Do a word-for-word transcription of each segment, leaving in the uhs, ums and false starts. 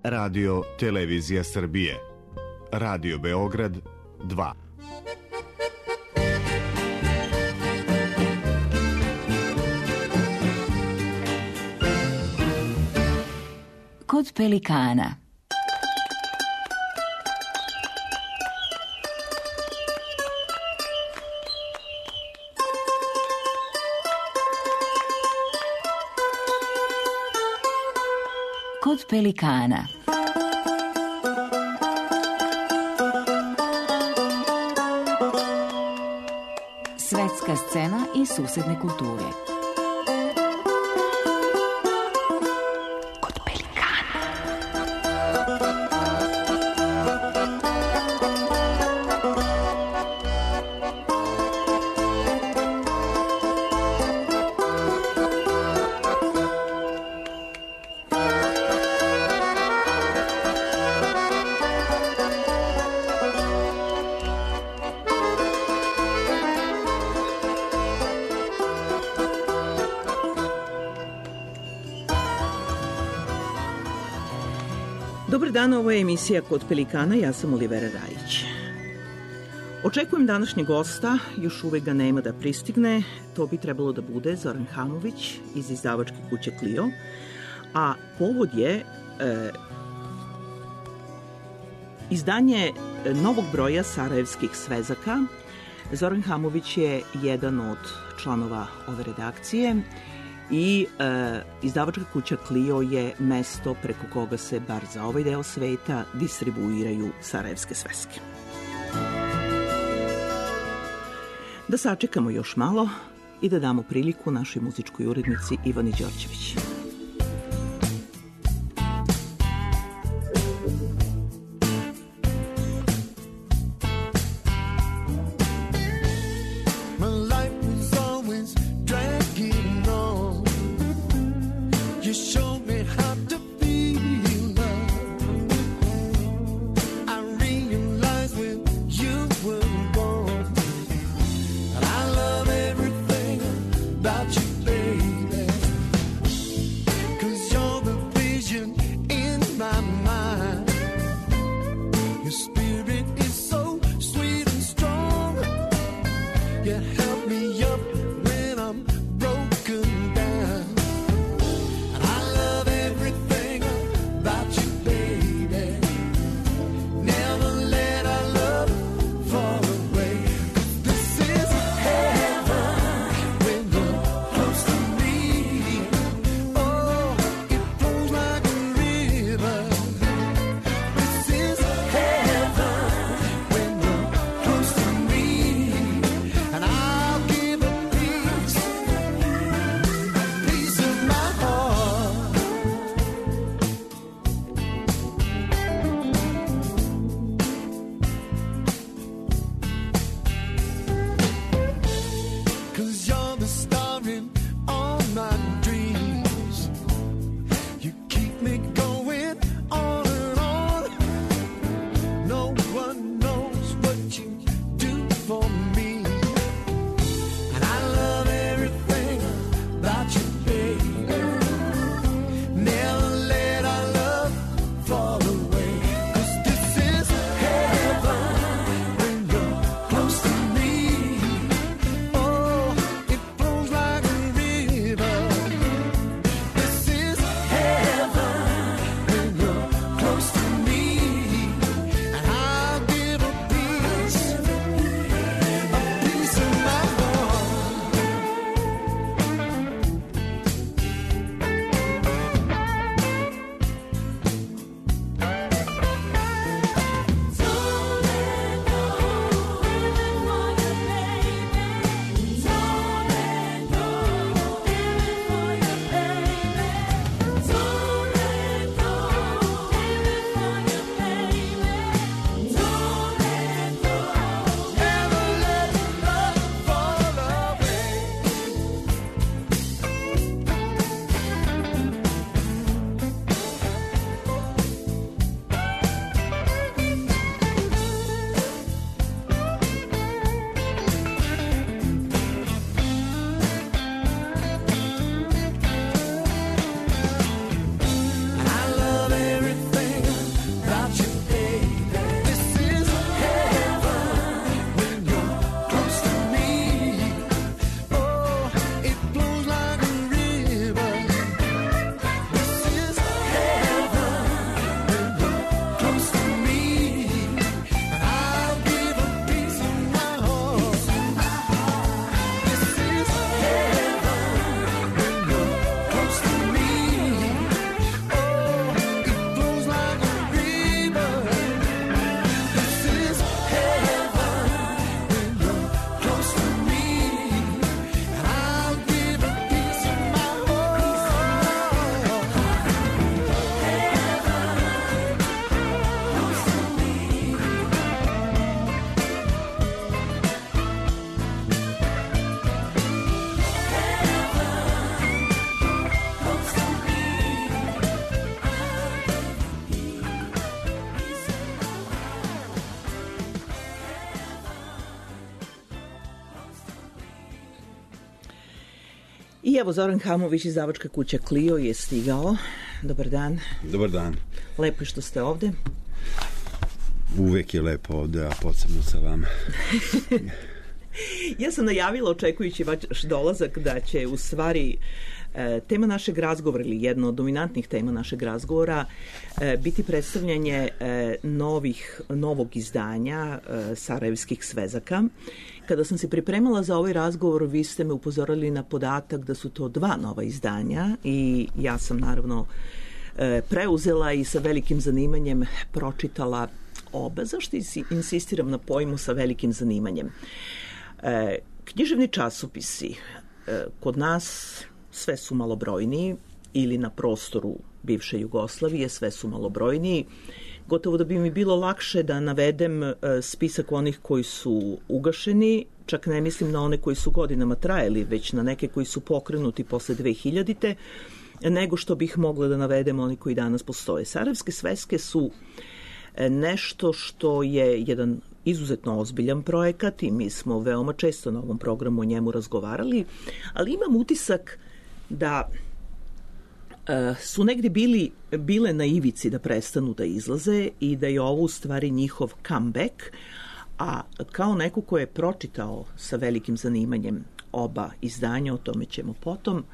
Radio Televizija Srbije, Radio Beograd dva. Kod pelikana. Kod pelikana. Svetska scena i susedne kulture. Kod pelikana. Dobar dan, ovo je emisija Kod pelikana, ja sam Olivera Rajić. Očekujem današnjeg gosta, još uvek ga nema da pristigne, to bi trebalo da bude Zoran Hamović iz izdavačke kuće Clio, a povod je e, izdanje novog broja Sarajevskih svezaka. Zoran Hamović je jedan od članova ove redakcije i e, izdavačka kuća Clio je mesto preko koga se, bar za ovaj deo sveta, distribuiraju sarajevske sveske. Da sačekamo još malo i da damo priliku našoj muzičkoj urednici Ivani Đorđević. I evo Zoran Hamović, izdavačka kuća Clio, je stigao. Dobar dan. Dobar dan. Lepo što ste ovde. Uvek je lepo ovde, a posebno sa vama. Ja sam najavila, očekujući vaš dolazak, da će u stvari tema našeg razgovora, ili jedna od dominantnih tema našeg razgovora, biti predstavljanje novih, novog izdanja Sarajevskih svezaka. Kada sam se pripremala za ovaj razgovor, vi ste me upozorili na podatak da su to dva nova izdanja i ja sam naravno preuzela i sa velikim zanimanjem pročitala oba. Zašto insistiram na pojmu sa velikim zanimanjem? Književni časopisi kod nas sve su malobrojniji, ili na prostoru bivše Jugoslavije sve su malobrojniji. Gotovo da bi mi bilo lakše da navedem spisak onih koji su ugašeni, čak ne mislim na one koji su godinama trajali, već na neke koji su pokrenuti posle dve hiljadite, nego što bih mogla da navedem oni koji danas postoje. Sarajevske sveske su nešto što je jedan izuzetno ozbiljan projekat i mi smo veoma često na ovom programu o njemu razgovarali, ali imam utisak da e, su negde bili, bile na ivici da prestanu da izlaze i da je ovo u stvari njihov comeback, a kao neko ko je pročitao sa velikim zanimanjem oba izdanja, o tome ćemo potom,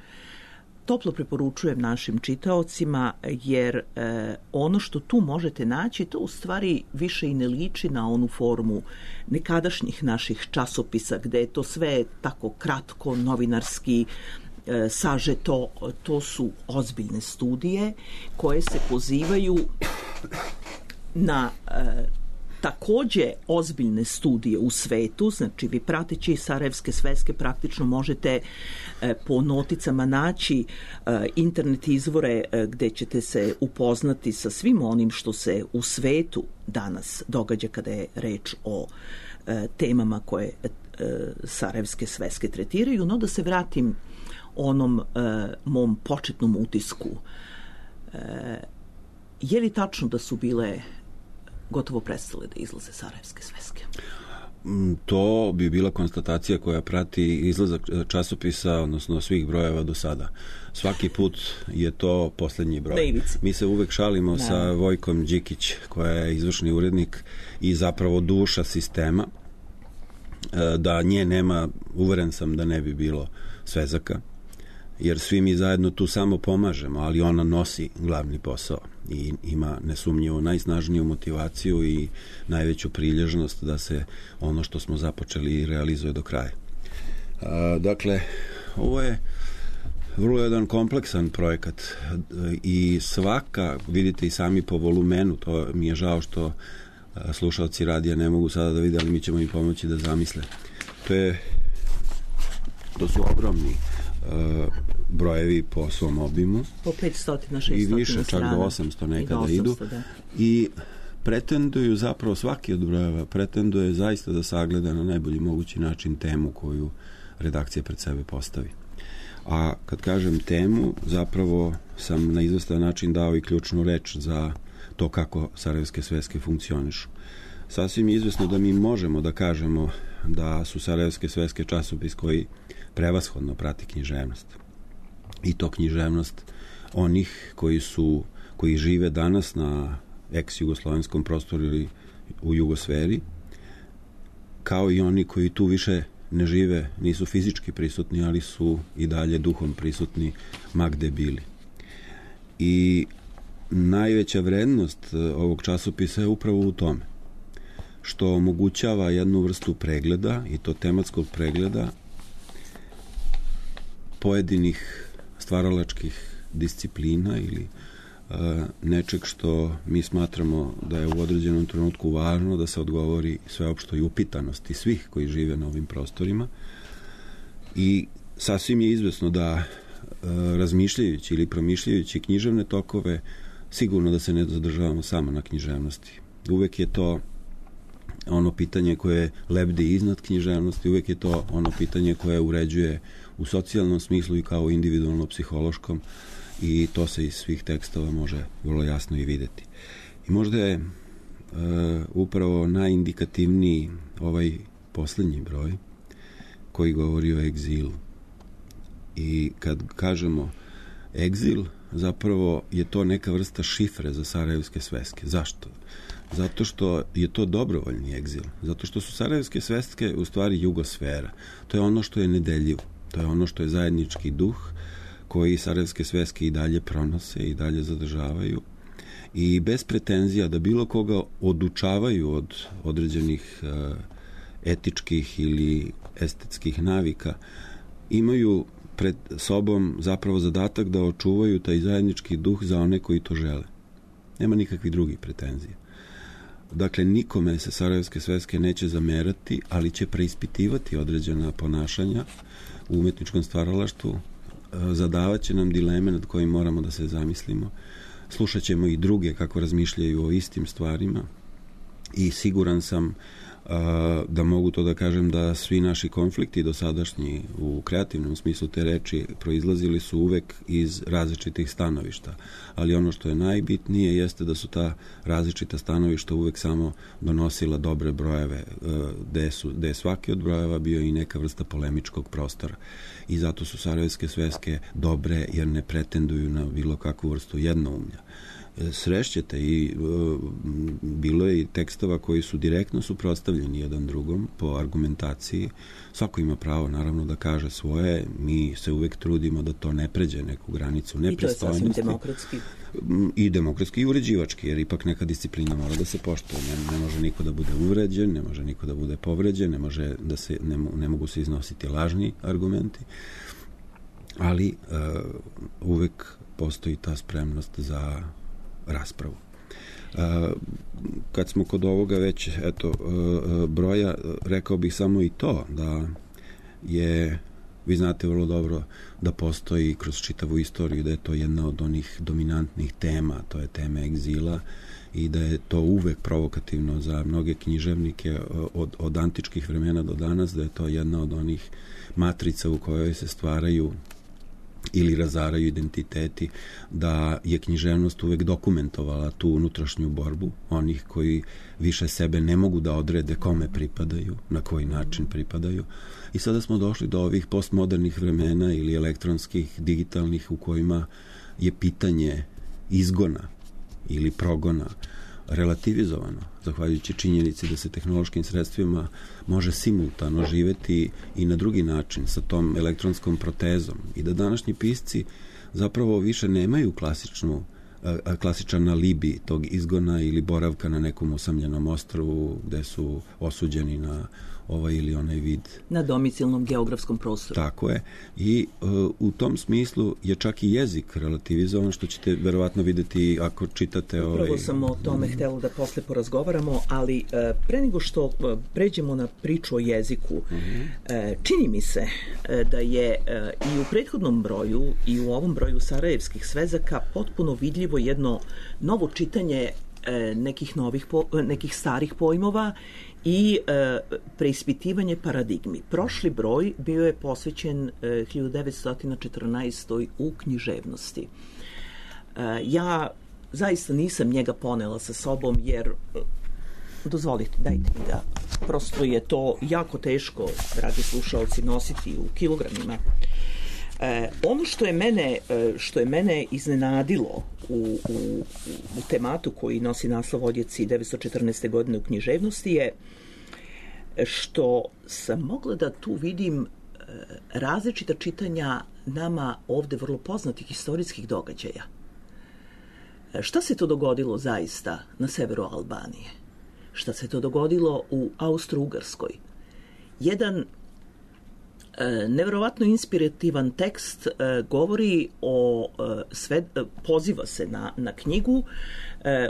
toplo preporučujem našim čitaocima, jer e, ono što tu možete naći, to u stvari više i ne liči na onu formu nekadašnjih naših časopisa, gde je to sve tako kratko, novinarski, e, sažeto. To su ozbiljne studije koje se pozivaju na e, takođe ozbiljne studije u svetu. Znači, vi prateći Sarajevske sveske praktično možete e, po noticama naći e, internet izvore e, gde ćete se upoznati sa svim onim što se u svetu danas događa kada je reč o e, temama koje e, Sarajevske sveske tretiraju. No, da se vratim onom e, mom početnom utisku. E, je li tačno da su bile gotovo prestale da izlaze Sarajevske sveske? To bi bila konstatacija koja prati izlazak časopisa, odnosno svih brojeva do sada. Svaki put je to poslednji broj. Davids. Mi se uvek šalimo da. sa Vojkom Đikić, koja je izvršni urednik i zapravo duša sistema. Da nje nema, uveren sam da ne bi bilo svezaka, jer svi mi zajedno tu samo pomažemo, ali ona nosi glavni posao i ima nesumnjivo najsnažniju motivaciju i najveću prilježnost da se ono što smo započeli realizuje do kraja. A, dakle, ovo je vrlo jedan kompleksan projekat i svaka, vidite i sami po volumenu, to mi je žao što slušalci radija ne mogu sada da vide, ali mi ćemo im pomoći da zamisle. To je, to su ogromni uh, brojevi po svom obimu. Po petsto šest i više, čak do osamsto nekada osamsto, idu. Da. I pretenduju zapravo, svaki od brojeva pretenduje zaista da sagleda na najbolji mogući način temu koju redakcija pred sebe postavi. A kad kažem temu, zapravo sam na izvestan način dao i ključnu reč za to kako Sarajevske sveske funkcionišu. Sasvim je izvesno da mi možemo da kažemo da su Sarajevske sveske časopis koji prevashodno prati književnost. I to književnost onih koji su, koji žive danas na ex-jugoslovenskom prostoru ili u jugosferi, kao i oni koji tu više ne žive, nisu fizički prisutni, ali su i dalje duhom prisutni ma gde bili. I najveća vrednost ovog časopisa je upravo u tome što omogućava jednu vrstu pregleda, i to tematskog pregleda pojedinih stvaralačkih disciplina ili uh, nečeg što mi smatramo da je u određenom trenutku važno da se odgovori sveopštoj upitanosti svih koji žive na ovim prostorima. I sasvim je izvesno da uh, razmišljajući ili promišljajući književne tokove, sigurno da se ne zadržavamo samo na književnosti. Uvek je to ono pitanje koje lebdi iznad književnosti, uvek je to ono pitanje koje uređuje u socijalnom smislu i kao individualno-psihološkom, i to se iz svih tekstova može vrlo jasno i videti. I možda je e, upravo najindikativniji ovaj poslednji broj koji govori o egzilu. I kad kažemo egzil, zapravo je to neka vrsta šifre za sarajevske sveske. Zašto? Zato što je to dobrovoljni egzil. Zato što su sarajevske sveske u stvari jugosfera. To je ono što je nedeljivo. To je ono što je zajednički duh koji sarajevske sveske i dalje pronose i dalje zadržavaju. I bez pretenzija da bilo koga odučavaju od određenih uh, etičkih ili estetskih navika, imaju pred sobom zapravo zadatak da očuvaju taj zajednički duh za one koji to žele. Nema nikakvih drugih pretenzija. Dakle, nikome se sarajevske sveske neće zamerati, ali će preispitivati određena ponašanja u umetničkom stvaralaštvu, zadavat će nam dileme nad kojim moramo da se zamislimo, slušat ćemo i druge kako razmišljaju o istim stvarima i siguran sam da mogu to da kažem da svi naši konflikti dosadašnji u kreativnom smislu te reči proizlazili su uvek iz različitih stanovišta. Ali ono što je najbitnije jeste da su ta različita stanovišta uvek samo donosila dobre brojeve, gde, su, gde je svaki od brojeva bio i neka vrsta polemičkog prostora. I zato su sarajevske sveske dobre jer ne pretenduju na bilo kakvu vrstu jednoumlja. Srešćete i uh, bilo je i tekstova koji su direktno suprotstavljeni jedan drugom po argumentaciji. Svako ima pravo naravno da kaže svoje, mi se uvek trudimo da to ne pređe neku granicu nepristojnosti. I to je sasvim demokratski. I demokratski i uređivački, jer ipak neka disciplina mora da se poštuje. Ne, ne može niko da bude uvređen, ne može niko da bude povređen, ne, može da se, ne, ne mogu se iznositi lažni argumenti, ali uh, uvek postoji ta spremnost za raspravu. Uh, kad smo kod ovoga već eto, uh, broja, rekao bih samo i to da je, vi znate vrlo dobro da postoji kroz čitavu istoriju da je to jedna od onih dominantnih tema, to je tema egzila i da je to uvek provokativno za mnoge književnike od, od antičkih vremena do danas, da je to jedna od onih matrica u kojoj se stvaraju ili razaraju identiteti, da je književnost uvek dokumentovala tu unutrašnju borbu onih koji više sebe ne mogu da odrede kome pripadaju, na koji način pripadaju. I sada smo došli do ovih postmodernih vremena ili elektronskih, digitalnih, u kojima je pitanje izgona ili progona relativizovano, zahvaljujući činjenici da se tehnološkim sredstvima može simultano živeti i na drugi način sa tom elektronskom protezom i da današnji pisci zapravo više nemaju klasičnu, klasičan alibi tog izgona ili boravka na nekom usamljenom ostrvu gde su osuđeni na ovaj ili onaj vid. Na domicilnom geografskom prostoru. Tako je. I uh, u tom smislu je čak i jezik relativizovan, što ćete verovatno videti ako čitate... Upravo ovaj... sam o tome htjela da posle porazgovaramo, ali uh, pre nego što uh, pređemo na priču o jeziku, uh-huh. uh, čini mi se uh, da je uh, i u prethodnom broju i u ovom broju sarajevskih svezaka potpuno vidljivo jedno novo čitanje uh, nekih, novih po, uh, nekih starih pojmova i e, preispitivanje paradigmi. Prošli broj bio je posvećen e, hiljadu devetsto četrnaestoj u književnosti. E, ja zaista nisam njega ponela sa sobom jer, dozvolite, dajte mi da, prosto je to jako teško, dragi slušalci, nositi u kilogramima. E, ono što je mene, što je mene iznenadilo u, u, u tematu koji nosi naslov Odjeci devetsto četrnaeste. godine u književnosti je što sam mogla da tu vidim različita čitanja nama ovde vrlo poznatih istorijskih događaja. Šta se to dogodilo zaista na severu Albanije? Šta se to dogodilo u Austro-Ugarskoj? Jedan neverovatno inspirativan tekst govori o sve, poziva se na, na knjigu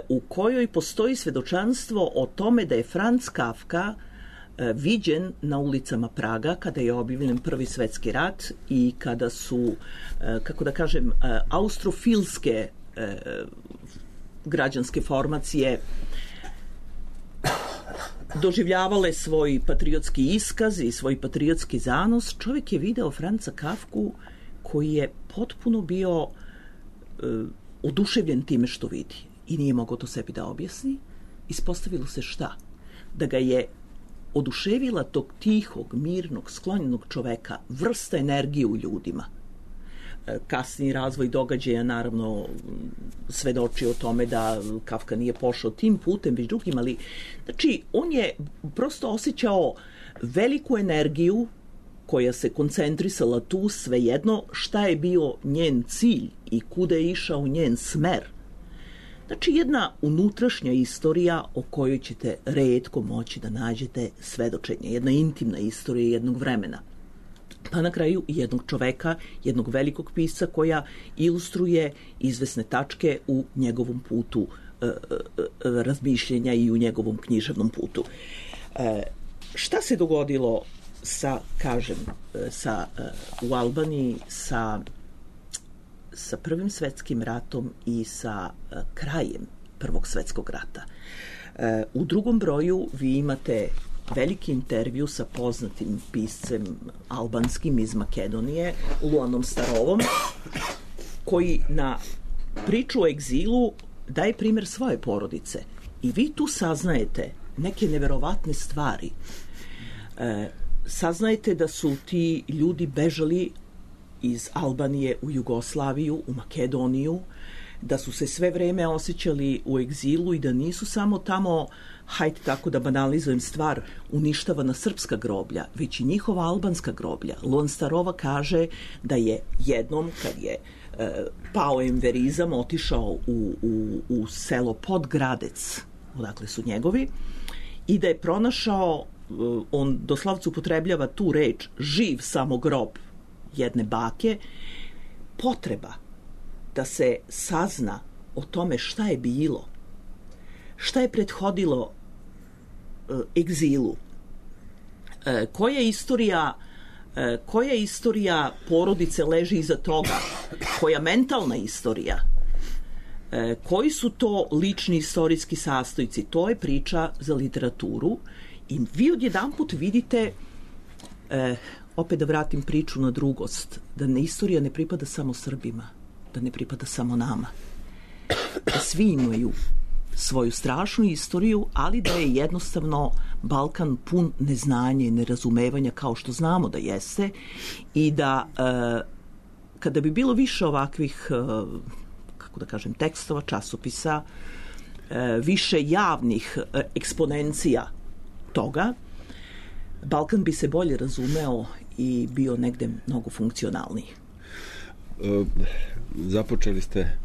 u kojoj postoji svedočanstvo o tome da je Franz Kafka viđen na ulicama Praga kada je objavljen Prvi svetski rat i kada su, kako da kažem, austrofilske građanske formacije doživljavale svoj patriotski iskaz i svoj patriotski zanos. Čovjek je video Franca Kafku koji je potpuno bio uh, oduševljen time što vidi i nije mogao to sebi da objasni. Ispostavilo se šta? Da ga je oduševila tog tihog, mirnog, sklonjenog čoveka vrsta energije u ljudima. kasniji razvoj događaja naravno svedoči o tome da Kafka nije pošao tim putem, već drugim, ali znači on je prosto osjećao veliku energiju koja se koncentrisala tu, svejedno šta je bio njen cilj i kuda je išao njen smer. Znači jedna unutrašnja istorija o kojoj ćete retko moći da nađete svedočenje, jedna intimna istorija jednog vremena. Pa na kraju jednog čoveka, jednog velikog pisca koja ilustruje izvesne tačke u njegovom putu e, e, razmišljenja i u njegovom književnom putu. E, šta se dogodilo sa, kažem, sa, u Albaniji sa, sa Prvim svetskim ratom i sa krajem Prvog svetskog rata? E, u drugom broju vi imate veliki intervju sa poznatim piscem albanskim iz Makedonije, Luanom Starovom, koji na priču o egzilu daje primjer svoje porodice. I vi tu saznajete neke neverovatne stvari. E, saznajete da su ti ljudi bežali iz Albanije u Jugoslaviju, u Makedoniju, da su se sve vreme osjećali u egzilu i da nisu samo tamo, hajde tako da banalizujem stvar, uništavana srpska groblja, već i njihova albanska groblja. Luan Starova kaže da je jednom, kad je e, pao enverizam, otišao u, u, u selo Podgradec, odakle su njegovi, i da je pronašao, e, on doslovce upotrebljava tu reč, živ samo grob jedne bake, potreba da se sazna o tome šta je bilo, šta je prethodilo e, egzilu, e, koja istorija e, koja istorija porodice leži iza toga, koja mentalna istorija, e, koji su to lični istorijski sastojci, to je priča za literaturu i vi odjedanput vidite, e, opet da vratim priču na drugost, da ne, istorija ne pripada samo Srbima, da ne pripada samo nama, da svi imaju svoju strašnu istoriju, ali da je jednostavno Balkan pun neznanja i nerazumevanja kao što znamo da jeste i da e, kada bi bilo više ovakvih, e, kako da kažem, tekstova, časopisa, e, više javnih e, eksponencija toga, Balkan bi se bolje razumeo i bio negde mnogo funkcionalniji. E, započeli ste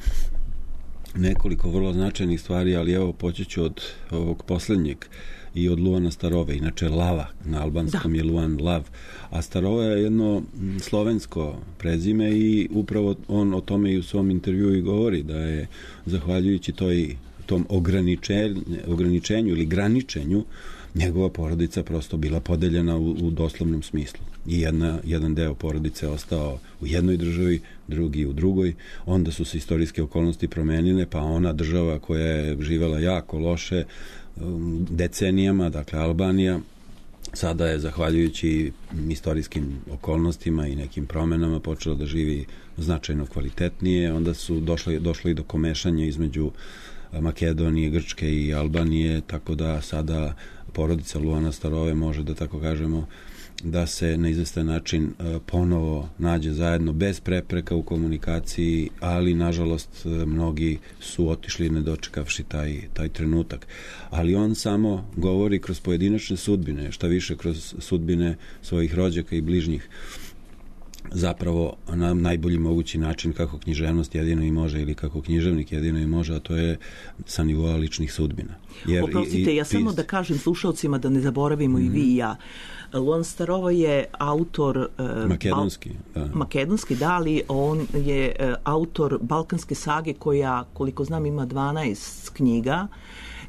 nekoliko vrlo značajnih stvari, ali evo počeću od ovog posljednjeg i od Luana Starove. Inače Lava na albanskom da. Je Luan Lav, a Starova je jedno slovensko prezime i upravo on o tome i u svom intervjuu i govori, da je zahvaljujući toj, tom ograničenju, ograničenju ili graničenju njegova porodica prosto bila podeljena u, u doslovnom smislu. I jedna, jedan deo porodice ostao u jednoj državi, drugi u drugoj. Onda su se istorijske okolnosti promenile, pa ona država koja je živela jako loše decenijama, dakle Albanija, sada je zahvaljujući istorijskim okolnostima i nekim promenama počela da živi značajno kvalitetnije. Onda su došli, došli do komešanja između Makedonije, Grčke i Albanije, tako da sada porodica Luana Starove može, da tako kažemo, da se na izvestan način ponovo nađe zajedno bez prepreka u komunikaciji, ali nažalost mnogi su otišli ne dočekavši taj, taj trenutak. Ali on samo govori kroz pojedinačne sudbine, šta više kroz sudbine svojih rođaka i bližnjih, zapravo na najbolji mogući način kako književnost jedino i može ili kako književnik jedino i može, a to je sa nivoa ličnih sudbina. Jer oprostite, i, i, ja samo da kažem slušalcima da ne zaboravimo mm-hmm. i vi i ja. Luan Starova je autor uh, makedonski, Bal- da. makedonski, da, ali on je uh, autor Balkanske sage koja, koliko znam, ima dvanaest knjiga.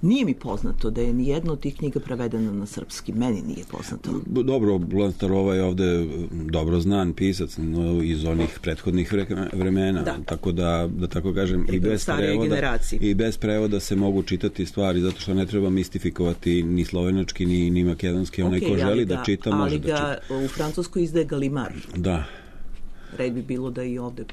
Nije mi poznato da je nijedno od tih knjiga prevedena na srpski. Meni nije poznato. Dobro, Luan Starova je ovde dobro znan pisac, no, iz onih prethodnih vremena, da. Tako da, da tako kažem, i bez, prevoda, i bez prevoda se mogu čitati stvari, zato što ne treba mistifikovati ni slovenački, ni, ni makedonski. Onaj okay, ko želi da, da čita, može da čita. Ali ga u Francuskoj izdaje Galimar. Da. Red bi bilo da i ovde...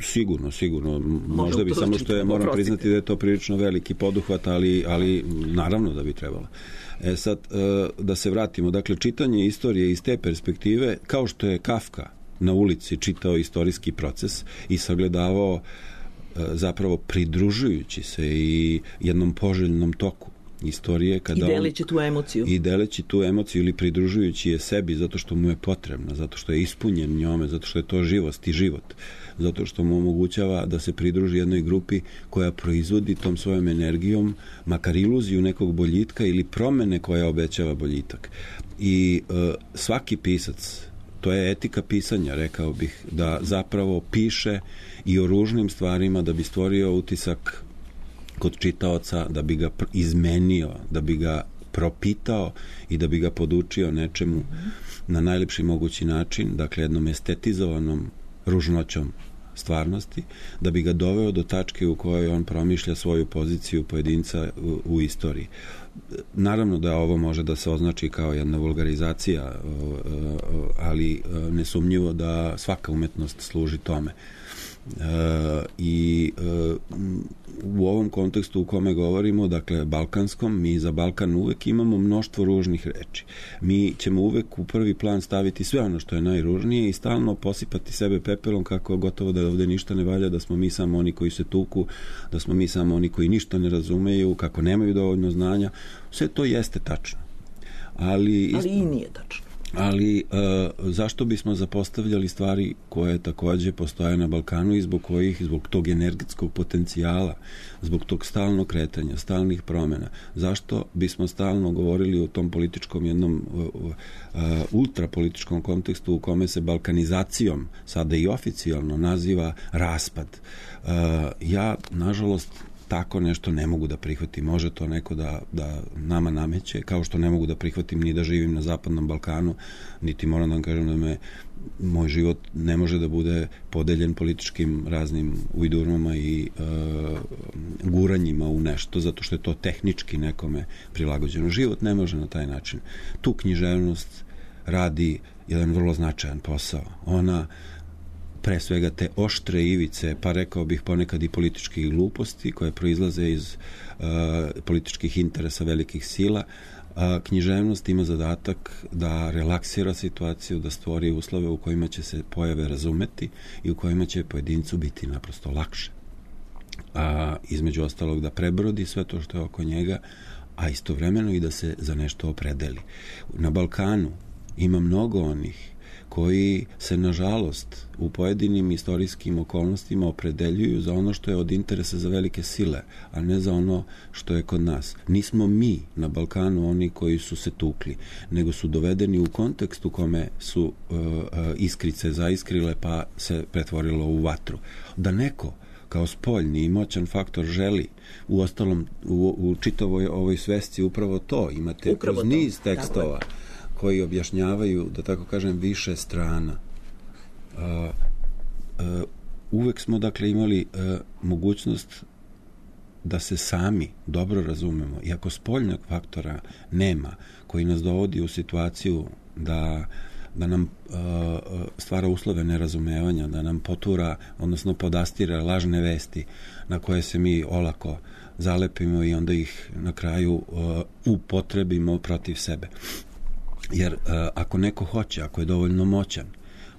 Sigurno, sigurno. Možda bi samo što je, moram priznati da je to prilično veliki poduhvat, ali, ali naravno da bi trebalo. E sad, da se vratimo. Dakle, čitanje istorije iz te perspektive, kao što je Kafka na ulici čitao istorijski proces i sagledavao zapravo pridružujući se i jednom poželjnom toku istorije. Kada I deleći tu emociju. I deleći tu emociju ili pridružujući je sebi zato što mu je potrebna, zato što je ispunjen njome, zato što je to živost i život, zato što mu omogućava da se pridruži jednoj grupi koja proizvodi tom svojom energijom makar iluziju nekog boljitka ili promene koja obećava boljitak. I e, svaki pisac, to je etika pisanja, rekao bih, da zapravo piše i o ružnim stvarima da bi stvorio utisak kod čitaoca, da bi ga izmenio, da bi ga propitao i da bi ga podučio nečemu na najlepši mogući način, dakle jednom estetizovanom ružnoćom stvarnosti, da bi ga doveo do tačke u kojoj on promišlja svoju poziciju pojedinca u, u istoriji. Naravno da ovo može da se označi kao jedna vulgarizacija, ali nesumnjivo da svaka umetnost služi tome. E, i e, u ovom kontekstu u kome govorimo, dakle balkanskom, mi za Balkan uvek imamo mnoštvo ružnih reči. Mi ćemo uvek u prvi plan staviti sve ono što je najružnije i stalno posipati sebe pepelom kako gotovo da ovde ništa ne valja, da smo mi samo oni koji se tuku, da smo mi samo oni koji ništa ne razumeju, kako nemaju dovoljno znanja. Sve to jeste tačno. Ali, ali i nije tačno. Ali e, zašto bismo zapostavljali stvari koje takođe postoje na Balkanu i zbog kojih, zbog tog energetskog potencijala, zbog tog stalnog kretanja, stalnih promena, zašto bismo stalno govorili o tom političkom jednom uh, uh, ultrapolitičkom kontekstu u kome se balkanizacijom sada i oficijalno naziva raspad. Uh, ja, nažalost, tako nešto ne mogu da prihvatim. Može to neko da, da nama nameće, kao što ne mogu da prihvatim ni da živim na Zapadnom Balkanu, niti moram da vam kažem da me moj život ne može da bude podeljen političkim raznim ujdurmama i e, guranjima u nešto, zato što je to tehnički nekome prilagođeno. Život ne može na taj način. Tu književnost radi jedan vrlo značajan posao. Ona pre svega te oštre ivice, pa rekao bih ponekad i političkih gluposti koje proizlaze iz uh, političkih interesa velikih sila, a književnost ima zadatak da relaksira situaciju, da stvori uslove u kojima će se pojave razumeti i u kojima će pojedincu biti naprosto lakše. A između ostalog da prebrodi sve to što je oko njega, a istovremeno i da se za nešto opredeli. Na Balkanu ima mnogo onih koji se, nažalost, u pojedinim istorijskim okolnostima opredeljuju za ono što je od interesa za velike sile, a ne za ono što je kod nas. Nismo mi na Balkanu oni koji su se tukli, nego su dovedeni u kontekst u kome su uh, uh, iskrice zaiskrile pa se pretvorilo u vatru. Da neko kao spoljni i moćan faktor želi, u ostalom u, u čitavoj ovoj svesci upravo to, imate upravo kroz niz to. tekstova koji objašnjavaju, da tako kažem, više strana. Uh, uh, uvek smo, dakle, imali uh, mogućnost da se sami dobro razumemo. Iako spoljnog faktora nema, koji nas dovodi u situaciju da, da nam uh, stvara uslove nerazumevanja, da nam potura, odnosno podastira lažne vesti na koje se mi olako zalepimo i onda ih na kraju uh, upotrebimo protiv sebe. Jer uh, ako neko hoće, ako je dovoljno moćan,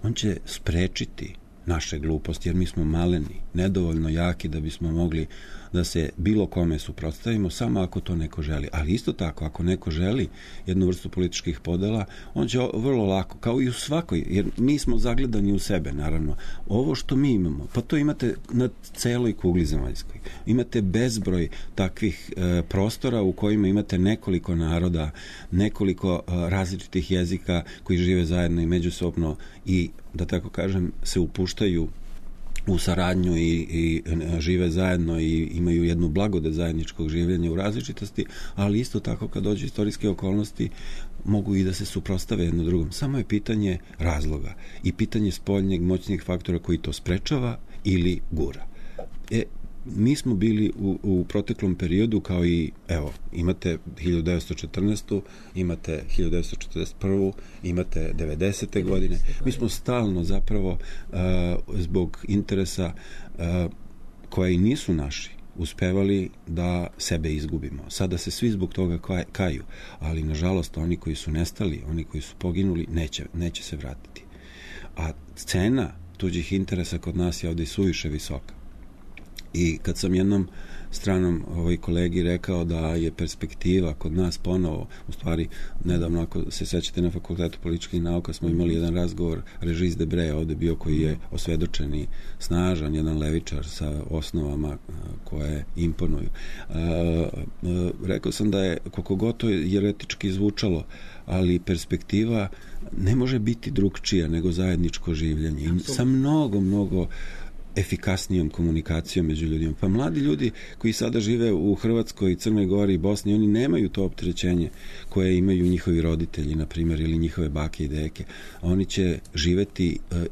on će sprečiti naše gluposti, jer mi smo maleni, nedovoljno jaki da bismo mogli da se bilo kome suprotstavimo, samo ako to neko želi. Ali isto tako, ako neko želi jednu vrstu političkih podela, on će vrlo lako, kao i u svakoj, jer mi smo zagledani u sebe, naravno. Ovo što mi imamo, pa to imate na celoj kugli zemaljskoj. Imate bezbroj takvih e, prostora u kojima imate nekoliko naroda, nekoliko e, različitih jezika koji žive zajedno i međusobno i, da tako kažem, se upuštaju u saradnju i, i žive zajedno i imaju jednu blagodet zajedničkog življenja u različitosti, ali isto tako kad dođu istorijske okolnosti mogu i da se suprotstave jedno drugom. Samo je pitanje razloga i pitanje spoljnjeg moćnih faktora koji to sprečava ili gura. E, mi smo bili u, u proteklom periodu kao i, evo, imate hiljadu devetsto četrnaestu. imate hiljadu devetsto četrdeset prvu. imate devedesete godine. Mi smo stalno zapravo uh, zbog interesa uh, koji nisu naši uspevali da sebe izgubimo. Sada se svi zbog toga kaju, ali nažalost oni koji su nestali, oni koji su poginuli, neće, neće se vratiti. a cena tuđih interesa kod nas je ovdje suviše visoka. I kad sam jednom stranom ovaj kolegi rekao da je perspektiva kod nas ponovo, u stvari nedavno, ako se sećate, na Fakultetu političkih nauka smo imali jedan razgovor, Regis Debray ovdje bio, koji je osvedočeni, snažan, jedan levičar sa osnovama koje imponuju. Rekao sam da je, koliko god to jeretički zvučalo, ali perspektiva ne može biti drugčija nego zajedničko življenje. I sa mnogo, mnogo efikasnijom komunikacijom među ljudima. Pa mladi ljudi koji sada žive u Hrvatskoj, Crnoj Gori i Bosni, oni nemaju to opterećenje koje imaju njihovi roditelji, na primjer, ili njihove bake i deke. Oni će živeti uh, uh,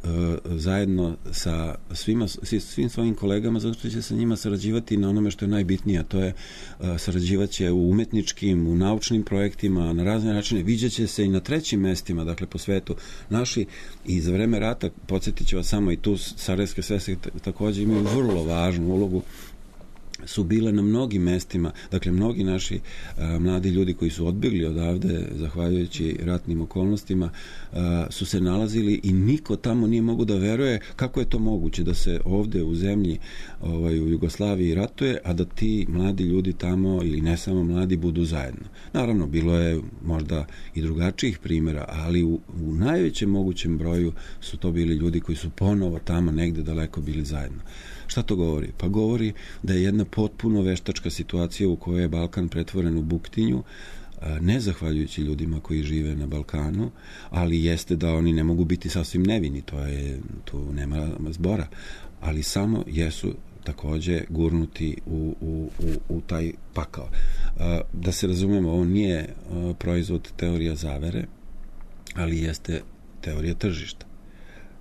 zajedno sa svima, svim svojim kolegama, zato što će sa njima sarađivati na onome što je najbitnije, a to je uh, sarađivaće u umetničkim, u naučnim projektima, na razne načine. Viđaće se i na trećim mestima, dakle po svetu. Naši i za vreme rata, podsjetit ću vas samo, i tu Sarajevske svese također imaju vrlo važnu ulogu, su bile na mnogim mestima, dakle mnogi naši a, mladi ljudi koji su odbjegli odavde zahvaljujući ratnim okolnostima a, su se nalazili i niko tamo nije mogu da veruje kako je to moguće da se ovde u zemlji, ovaj, u Jugoslaviji ratuje, a da ti mladi ljudi tamo, ili ne samo mladi, budu zajedno. Naravno, bilo je možda i drugačijih primjera, ali u, u najvećem mogućem broju su to bili ljudi koji su ponovo tamo negde daleko bili zajedno. Šta to govori? Pa govori da je jedna potpuno veštačka situacija u kojoj je Balkan pretvoren u buktinju, ne zahvaljujući ljudima koji žive na Balkanu, ali jeste da oni ne mogu biti sasvim nevini, to je, tu nema zbora, ali samo jesu takođe gurnuti u, u, u, u taj pakao. Da se razumemo, ovo nije proizvod teorija zavere, ali jeste teorija tržišta.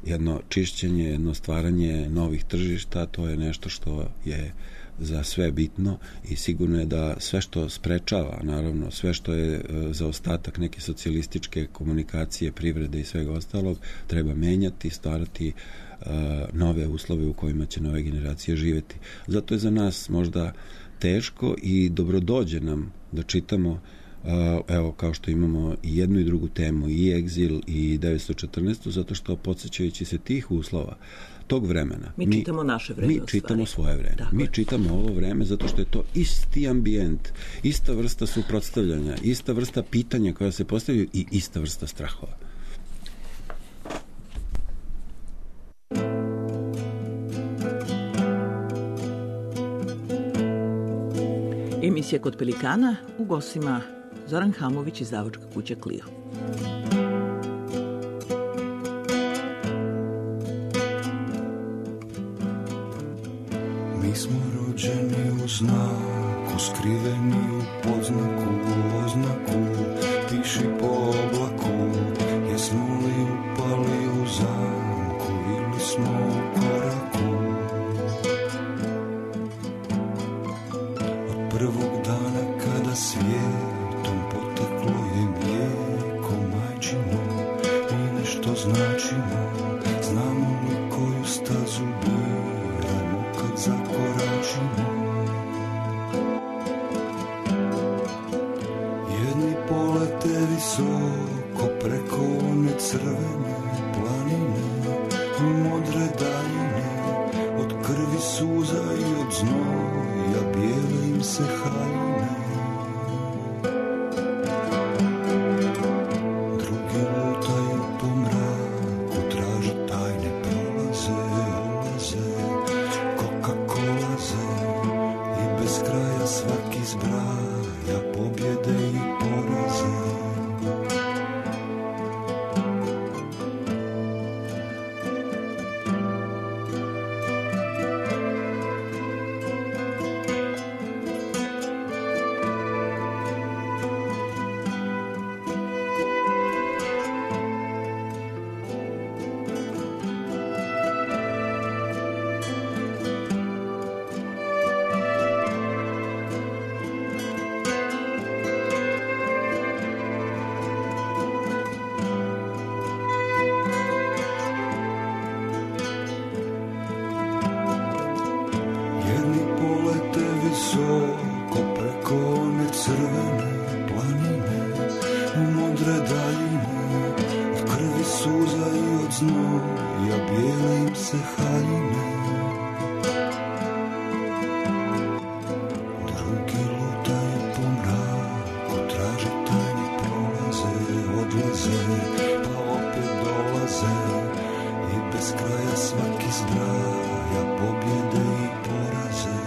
Jedno čišćenje, jedno stvaranje novih tržišta, to je nešto što je za sve bitno i sigurno je da sve što sprečava, naravno, sve što je za ostatak neke socijalističke komunikacije, privrede i svega ostalog, treba menjati, stvarati uh, nove uslove u kojima će nove generacije živjeti. Zato je za nas možda teško i dobrodođe nam da čitamo, Uh, evo, kao što imamo i jednu i drugu temu, i egzil i devetsto četrnaestu, zato što podsjećajući se tih uslova, tog vremena, mi, mi čitamo naše vreme. Mi čitamo svoje vreme. Tako mi je. Čitamo ovo vreme zato što je to isti ambijent, ista vrsta suprotstavljanja, ista vrsta pitanja koja se postavljaju i ista vrsta strahova. Emisija Kod Pelikana, u gostima Zoran Hamović, izdavačka kuća Clio. Mi smo rođeni u znaku, skriveni u podznaku, u oznaku, piši po oblaku, jesmo li upali u zamku ili smo u koraku. Od prvog dana kada svijetom poteklo je mlijeko majčino, mi nešto značimo, znamo li koju stazu biramo kad zakoračimo. Jedni polete visoko preko one crvene planine i modre daljine, od krvi suza i od znoja bijele im se haljine. Drugi lutaju po mraku, traže tajne prolaze, ulaze, Coca-Colaze i bez kraja svaki zbraja pobjede i poraze. Visoko preko one crvene planine, u modre daljine, od krvi suza i od znoja se haljine. Drugi lutaju po mraku, traže tajne prolaze, odlaze, pa opet dolaze i bez kraja svaki zbraja pobjede i poraze.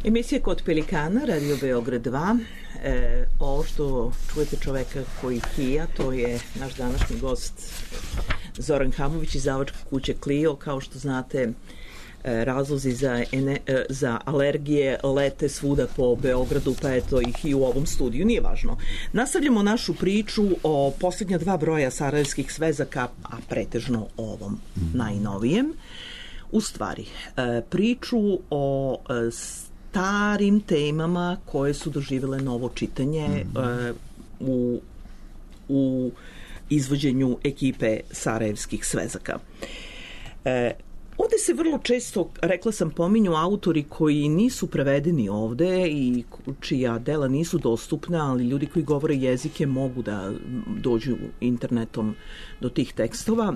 Emisija Kod Pelikana, Radio Beograd dva. E, ovo što čujete čoveka koji hija, to je naš današnji gost Zoran Hamović, izdavačka kuća Clio. Kao što znate, razlozi za, ene, za alergije lete svuda po Beogradu, pa eto ih i u ovom studiju, nije važno. Nastavljamo našu priču o posljednja dva broja sarajevskih svezaka, a pretežno ovom najnovijem. U stvari, priču o starim temama koje su doživjele novo čitanje mm-hmm. u, u izvođenju ekipe sarajevskih svezaka. E, ovde se vrlo često, rekla sam, pominju autori koji nisu prevedeni ovde i čija dela nisu dostupna, ali ljudi koji govore jezike mogu da dođu internetom do tih tekstova.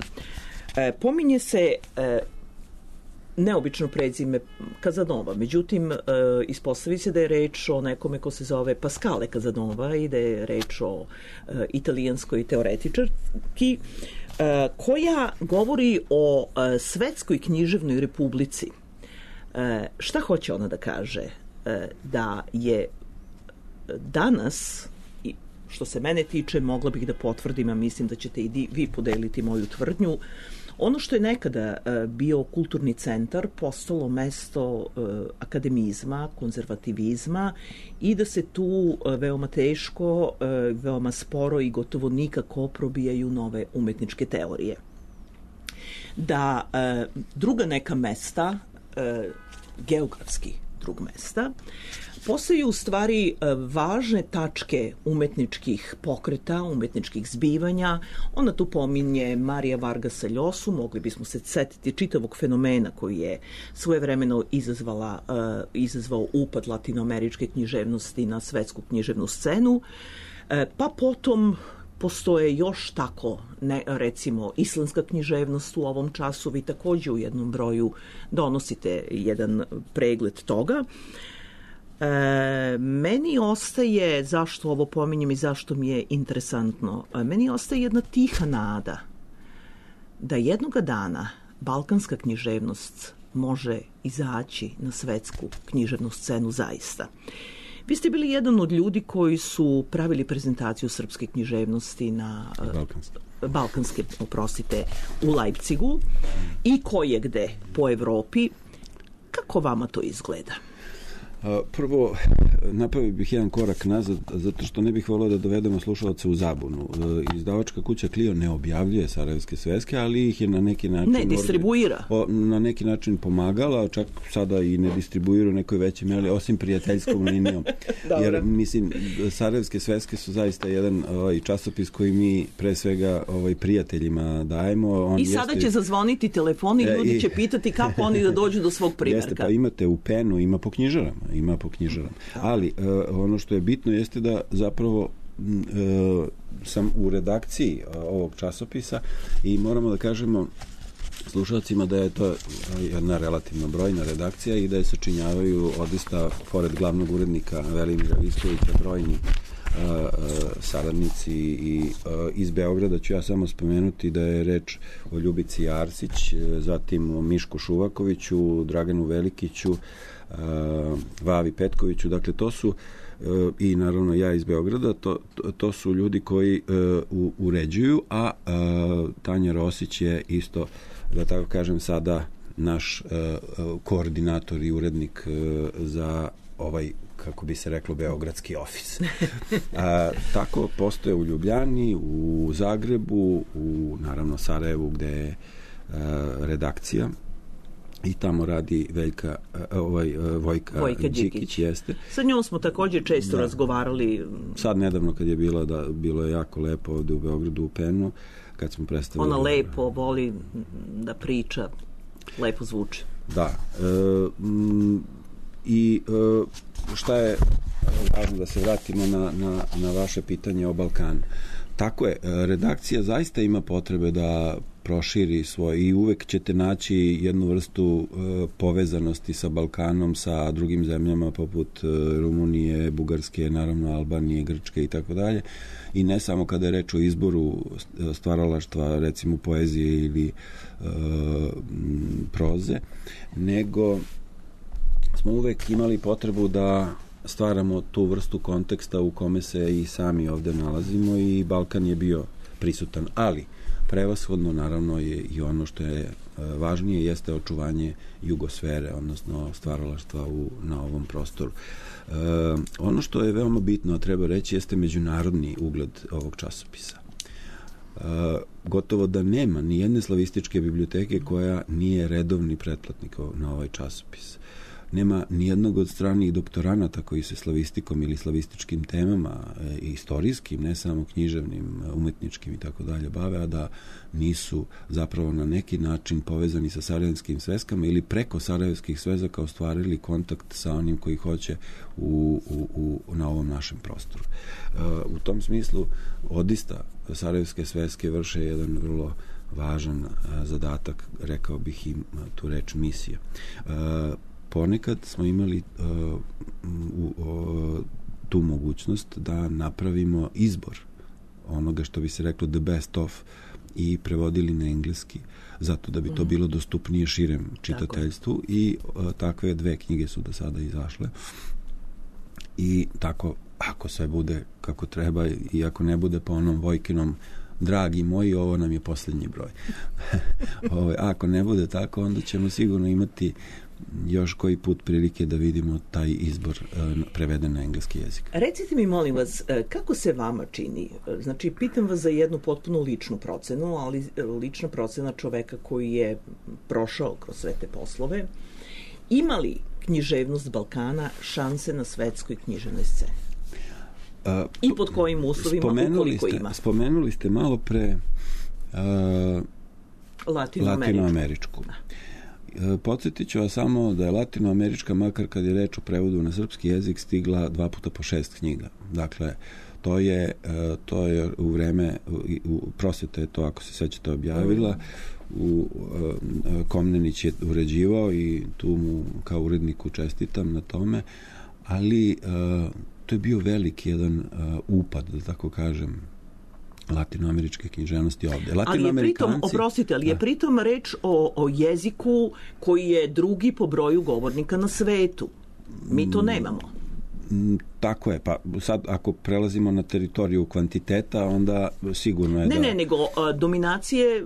E, pominje se e, neobično prezime Kazanova, međutim e, ispostavi se da je reč o nekome ko se zove Pascale Kazanova i da je reč o e, italijanskoj teoretičarki e, koja govori o e, svetskoj književnoj republici. E, šta hoće ona da kaže? E, da je danas, što se mene tiče, mogla bih da potvrdim, a mislim da ćete i vi podeliti moju tvrdnju, ono što je nekada uh, bio kulturni centar postalo mesto uh, akademizma, konzervativizma i da se tu uh, veoma teško, uh, veoma sporo i gotovo nikako probijaju nove umetničke teorije. Da uh, druga neka mesta, uh, geografski drug mesta, postaju u stvari važne tačke umetničkih pokreta, umetničkih zbivanja. Ona tu pominje Marija Vargasa Ljosu, mogli bismo se setiti čitavog fenomena koji je svojevremeno izazvala, uh, izazvao upad latinoameričke književnosti na svetsku književnu scenu. Uh, pa potom postoje još tako, ne, recimo, islandska književnost u ovom času. Vi takođe u jednom broju donosite jedan pregled toga. E, meni ostaje, zašto ovo pominjem i zašto mi je interesantno, e, meni ostaje jedna tiha nada da jednoga dana balkanska književnost može izaći na svetsku književnu scenu zaista. Vi ste bili jedan od ljudi koji su pravili prezentaciju srpske književnosti na balkanske, balkanske oprostite, u Leipzigu i koje gde po Evropi. Kako vama to izgleda? Prvo, napravio bih jedan korak nazad, zato što ne bih volio da dovedemo slušalce u zabunu. Izdavačka kuća Clio ne objavljuje sarajevske sveske, ali ih je na neki način... Ne distribuira. O, na neki način pomagala, čak sada i ne distribuira u nekoj većoj meri, osim prijateljskom linijom. Jer, mislim, sarajevske sveske su zaista jedan ovaj, časopis koji mi pre svega ovaj, prijateljima dajemo. On I sada jeste... će zazvoniti telefon i ljudi e, i... će pitati kako oni da dođu do svog primjerka. Jeste, pa imate u Penu, ima po knjižarama. ima po knjižarama. Ali e, ono što je bitno jeste da zapravo e, sam u redakciji e, ovog časopisa i moramo da kažemo slušalcima da je to jedna relativno brojna redakcija i da je sačinjavaju odista, pored glavnog urednika Velimira Viskovića, brojni Uh, uh, saradnici i uh, iz Beograda ću ja samo spomenuti da je reč o Ljubici Arsić, uh, zatim o Mišku Šuvakoviću, Draganu Velikiću, uh, Vavi Petkoviću, dakle to su uh, i naravno ja iz Beograda, to, to, to su ljudi koji uh, u, uređuju, a uh, Tanja Rosić je isto, da tako kažem, sada naš uh, koordinator i urednik uh, za ovaj, kako bi se reklo, beogradski ofis. A, tako postoje u Ljubljani, u Zagrebu, u naravno Sarajevu gde je a, redakcija i tamo radi Veljka, a, ovaj, a, Vojka, Vojka Đikić, Đikić. Jeste. Sa njom smo također često da. razgovarali. Sad nedavno kad je bila, da, bilo je jako lepo ovde u Beogradu u Penu, kad smo predstavili... Ona lepo voli da priča, lepo zvuči. Da. E, m, I e, šta je važno da se vratimo na, na, na vaše pitanje o Balkanu. Tako je, redakcija zaista ima potrebe da proširi svoj i uvek ćete naći jednu vrstu e, povezanosti sa Balkanom, sa drugim zemljama poput e, Rumunije, Bugarske, naravno Albanije, Grčke i tako dalje. I ne samo kada je reč o izboru stvaralaštva, recimo poezije ili e, proze, nego smo uvek imali potrebu da stvaramo tu vrstu konteksta u kome se i sami ovde nalazimo i Balkan je bio prisutan, ali prevashodno naravno je i ono što je važnije jeste očuvanje jugosfere, odnosno stvaralaštva u, na ovom prostoru. E, ono što je veoma bitno, treba reći, jeste međunarodni ugled ovog časopisa. E, gotovo da nema ni jedne slavističke biblioteke koja nije redovni pretplatnik na ovaj časopis. Nema nijednog od stranih doktoranata koji se slavistikom ili slavističkim temama, e, istorijskim, ne samo književnim, umetničkim i tako dalje bave, a da nisu zapravo na neki način povezani sa sarajevskim sveskama ili preko sarajevskih svezaka ostvarili kontakt sa onim koji hoće u, u, u, na ovom našem prostoru. E, u tom smislu odista sarajevske sveske vrše jedan vrlo važan a, zadatak, rekao bih im tu reč misija. E, Ponekad smo imali uh, uh, tu mogućnost da napravimo izbor onoga što bi se reklo the best of i prevodili na engleski, zato da bi to bilo dostupnije širem čitateljstvu. Tako. I uh, takve dve knjige su do sada izašle. I tako, ako sve bude kako treba i ako ne bude po onom Vojkinom dragi moji, ovo nam je posljednji broj. Ovo, ako ne bude tako, onda ćemo sigurno imati još koji put prilike da vidimo taj izbor uh, preveden na engleski jezik. Recite mi, molim vas, kako se vama čini? Znači, pitam vas za jednu potpuno ličnu procenu, ali lična procena čoveka koji je prošao kroz sve te poslove. Ima li književnost Balkana šanse na svetskoj književnoj sceni? Uh, I pod kojim uslovima, ukoliko ste, ima? Spomenuli ste malo pre uh, Latinoameričku. Latinoameričku. Da. Podsjetit ću vas samo da je latinoamerička, makar kad je reč o prevodu na srpski jezik, stigla dva puta po šest knjiga. Dakle, to je, to je u vreme, u Prosveta je to, ako se sećate, objavila, u, Komnenić je uređivao i tu mu kao uredniku čestitam na tome, ali to je bio veliki jedan upad, da tako kažem, latinoameričke književnosti ovde. Ali je pritom, oprostite, ali je pritom reč o, o jeziku koji je drugi po broju govornika na svetu. Mi to nemamo. Mm, tako je. Pa sad, ako prelazimo na teritoriju kvantiteta, onda sigurno je ne, da... Ne, ne, nego a, dominacije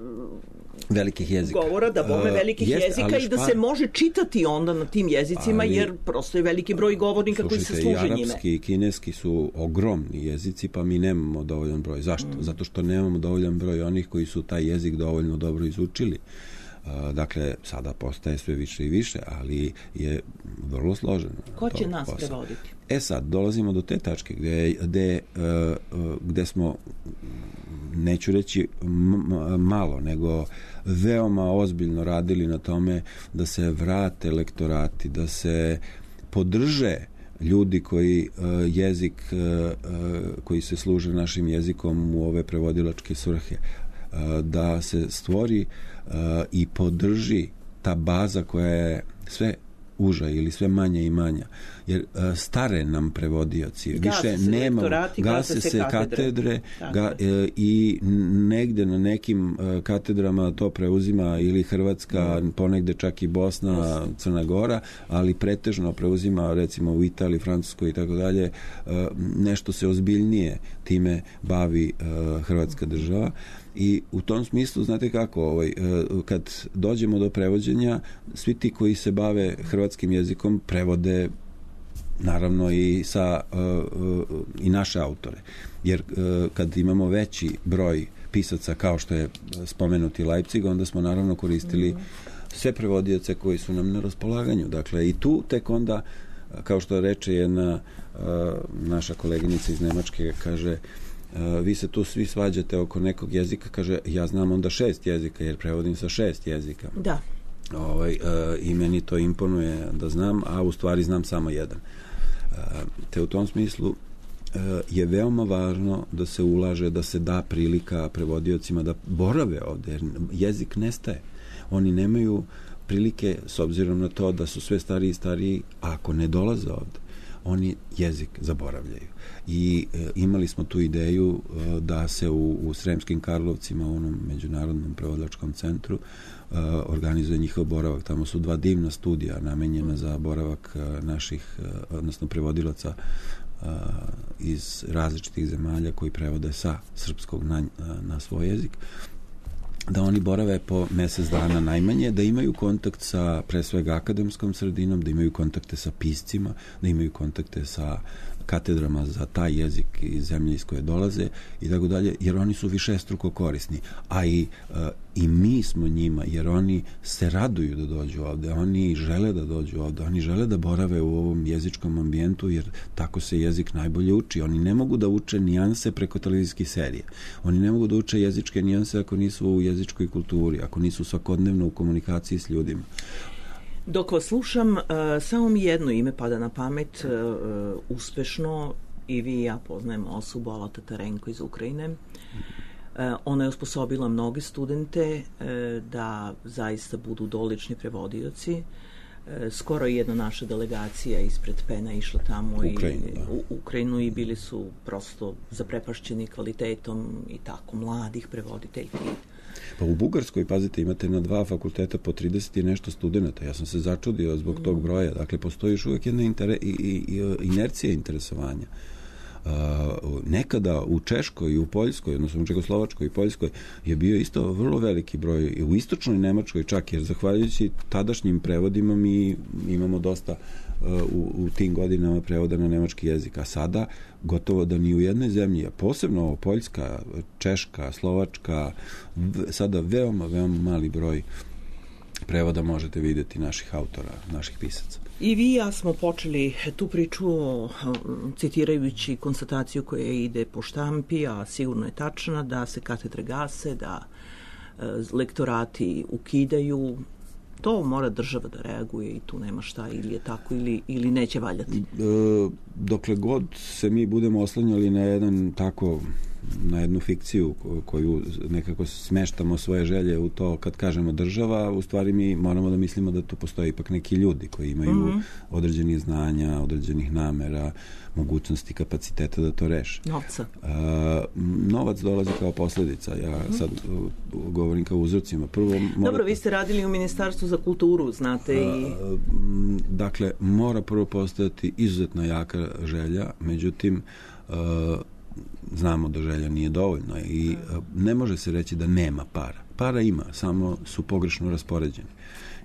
velikih jezika. Govora da bome velikih uh, jeste, jezika i da špan... se može čitati onda na tim jezicima, ali, jer prosto je veliki broj govornika slušajte, koji se služe njime. Slušajte, i arapski i kineski su ogromni jezici, pa mi nemamo dovoljan broj. Zašto? Mm. Zato što nemamo dovoljan broj onih koji su taj jezik dovoljno dobro izučili. Uh, dakle, sada postaje sve više i više, ali je vrlo složeno. Ko će nas posao. prevoditi? E sad, dolazimo do te tačke gde, gde, uh, gde smo, neću reći malo, nego veoma ozbiljno radili na tome da se vrate lektorati, da se podrže ljudi koji uh, jezik, uh, uh, koji se služe našim jezikom u ove prevodilačke svrhe, uh, da se stvori uh, i podrži ta baza koja je sve uža ili sve manja i manja. Jer a, stare nam prevodioci, više nema, gase se katedre, katedre ga, e, i negde na nekim e, katedrama to preuzima ili Hrvatska, mm. ponegde čak i Bosna, Crna Gora, ali pretežno preuzima recimo u Italiji, Francuskoj i tako dalje, e, nešto se ozbiljnije time bavi e, Hrvatska država. I u tom smislu, znate kako, ovaj, kad dođemo do prevođenja, svi ti koji se bave hrvatskim jezikom prevode naravno i sa i naše autore. Jer kad imamo veći broj pisaca kao što je spomenuti Leipzig, onda smo naravno koristili sve prevodioce koji su nam na raspolaganju. Dakle, i tu tek onda, kao što reče jedna naša koleginica iz Nemačke, kaže, Uh, vi se tu svi svađate oko nekog jezika, kaže, ja znam onda šest jezika, jer prevodim sa šest jezika. Da. Ovaj, uh, I meni to imponuje da znam, a u stvari znam samo jedan. Uh, te u tom smislu uh, je veoma važno da se ulaže, da se da prilika prevodiocima da borave ovde, jer jezik nestaje. Oni nemaju prilike, s obzirom na to da su sve stariji i stariji, a ako ne dolaze ovde, oni jezik zaboravljaju. I e, imali smo tu ideju e, da se u, u Sremskim Karlovcima, u onom međunarodnom prevodilačkom centru, e, organizuje njihov boravak. Tamo su dva divna studija namenjena za boravak e, naših, e, odnosno prevodilaca e, iz različitih zemalja koji prevode sa srpskog na, na svoj jezik, da oni borave po mesec dana najmanje, da imaju kontakt sa pre svega akademskom sredinom, da imaju kontakte sa piscima, da imaju kontakte sa katedrama za taj jezik iz zemlje iz koje dolaze i tako dalje, jer oni su višestruko korisni. A i, uh, i mi smo njima, jer oni se raduju da dođu ovde, oni žele da dođu ovde, oni žele da borave u ovom jezičkom ambijentu, jer tako se jezik najbolje uči. Oni ne mogu da uče nijanse preko televizijskih serija. Oni ne mogu da uče jezičke nijanse ako nisu u jezičkoj kulturi, ako nisu svakodnevno u komunikaciji s ljudima. Dok vas slušam, uh, samo mi jedno ime pada na pamet, uh, uspešno, i vi i ja poznajemo osobu, Ala Tatarenko iz Ukrajine. Uh, ona je osposobila mnoge studente uh, da zaista budu dolični prevodioci. Uh, skoro je jedna naša delegacija ispred Pena išla tamo Ukrajinu, i, da. u Ukrajinu i bili su prosto zaprepašćeni kvalitetom i tako mladih prevoditeljki. Pa u Bugarskoj, pazite, imate na dva fakulteta po trideset i nešto studenta. Ja sam se začudio zbog tog broja. Dakle, postoji još uvijek jedna inter, i, i, inercija interesovanja. Uh, nekada u Češkoj i u Poljskoj, odnosno u Čekoslovačkoj i Poljskoj je bio isto vrlo veliki broj, i u istočnoj Nemačkoj čak, jer zahvaljujući tadašnjim prevodima mi imamo dosta uh, u, u tim godinama prevoda na nemački jezik, a sada gotovo da ni u jednoj zemlji, a posebno Poljska, Češka, Slovačka, v, sada veoma, veoma mali broj prevoda možete vidjeti naših autora, naših pisaca. I vi i ja smo počeli tu priču citirajući konstataciju koja ide po štampi, a sigurno je tačna, da se katedre gase, da e, lektorati ukidaju. To mora država da reaguje i tu nema šta, ili je tako ili, ili neće valjati. E, dokle god se mi budemo oslanjali na jedan tako na jednu fikciju koju nekako smeštamo svoje želje u to kad kažemo država, u stvari mi moramo da mislimo da tu postoje ipak neki ljudi koji imaju mm-hmm. određenih znanja, određenih namera, mogućnosti, kapaciteta da to reše. Novca. A, novac dolazi kao posljedica. Ja sad govorim kao uzrocima. Prvo, morate, Dobro, vi ste radili u Ministarstvu za kulturu, znate i... A, dakle, mora prvo postojati izuzetno jaka želja, međutim, a, znamo da želja nije dovoljno i ne može se reći da nema para. Para ima, samo su pogrešno raspoređeni.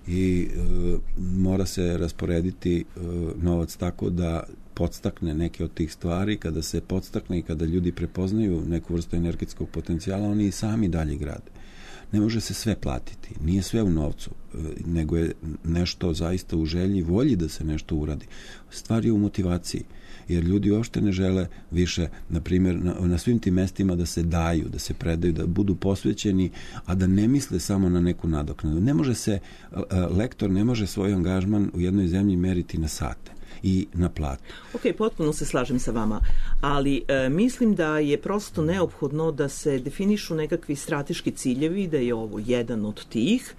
I e, mora se rasporediti e, novac tako da podstakne neke od tih stvari. Kada se podstakne i kada ljudi prepoznaju neku vrstu energetskog potencijala, oni i sami dalje grade. Ne može se sve platiti, nije sve u novcu, nego je nešto zaista u želji, volji da se nešto uradi. Stvar je u motivaciji, jer ljudi uopšte ne žele više, na primjer, na, na svim tim mestima da se daju, da se predaju, da budu posvećeni, a da ne misle samo na neku nadoknadu. Ne može se, lektor ne može svoj angažman u jednoj zemlji meriti na sate i na platu. Ok, potpuno se slažem sa vama, ali e, mislim da je prosto neophodno da se definišu nekakvi strateški ciljevi, da je ovo jedan od tih.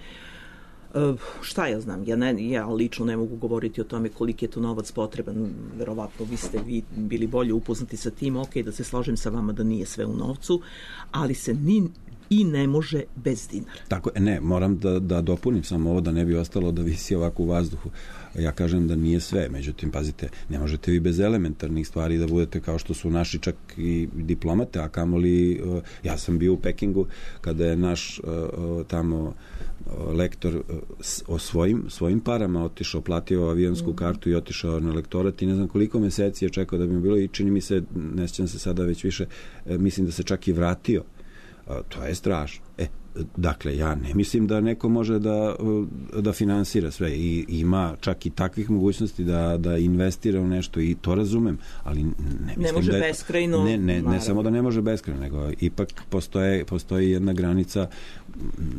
Šta ja znam, ja, ne, ja lično ne mogu govoriti o tome koliki je to novac potreban, verovatno vi ste vi bili bolje upoznati sa tim, ok, da se složim sa vama da nije sve u novcu, ali se ni i ne može bez dinara. Tako, ne, moram da, da dopunim samo ovo da ne bi ostalo da visi ovako u vazduhu. Ja kažem da nije sve, međutim, pazite, ne možete vi bez elementarnih stvari da budete kao što su naši čak i diplomate, a kamoli, ja sam bio u Pekingu kada je naš tamo lektor o svojim, svojim parama otišao, platio avionsku mm. kartu i otišao na lektorat i ne znam koliko meseci je čekao da bi mu bilo i čini mi se, ne sjećam se sada već više, mislim da se čak i vratio. To je strašno. E, dakle, ja ne mislim da neko može da, da finansira sve i ima čak i takvih mogućnosti da, da investira u nešto i to razumem, ali ne mislim ne može da je, beskrajno. Ne, ne, ne samo da ne može beskrajno, nego ipak postoje, postoji jedna granica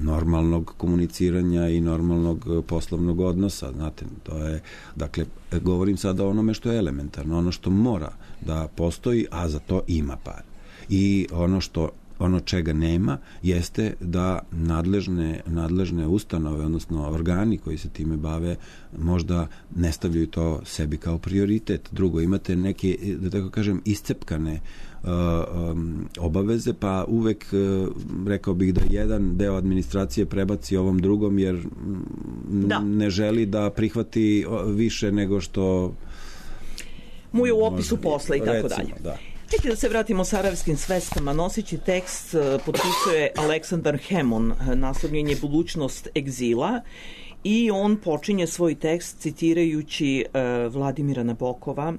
normalnog komuniciranja i normalnog poslovnog odnosa, znate, to je, dakle, govorim sada o onome što je elementarno, ono što mora da postoji, a za to ima par. I ono što ono čega nema jeste da nadležne, nadležne ustanove, odnosno organi koji se time bave, možda ne stavljaju to sebi kao prioritet. Drugo, imate neke, da tako kažem, iscepkane uh, um, obaveze, pa uvek uh, rekao bih da jedan deo administracije prebaci ovom drugom, jer da. ne želi da prihvati više nego što mu je u opisu posla i tako recimo, dalje. Da. Hajde da se vratimo sarajevskim sveskama. Noseći tekst potpisuje Aleksandar Hemon, naslovljen je Budućnost egzila, i on počinje svoj tekst citirajući uh, Vladimira Nabokova.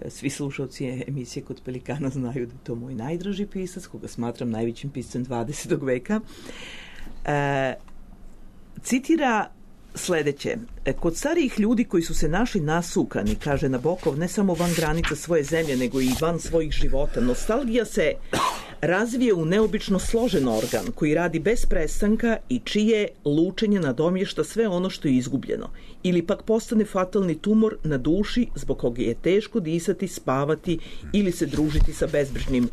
Svi slušalci emisije Kod Pelikana znaju da je to moj najdraži pisac, koga smatram najvećim piscem dvadesetog veka. Uh, citira sledeće. Kod starijih ljudi koji su se našli nasukani, kaže Nabokov, ne samo van granica svoje zemlje, nego i van svojih života, nostalgija se razvije u neobično složen organ koji radi bez prestanka i čije lučenje nadomješta sve ono što je izgubljeno. Ili pak postane fatalni tumor na duši zbog koga je teško disati, spavati ili se družiti sa bezbrižnim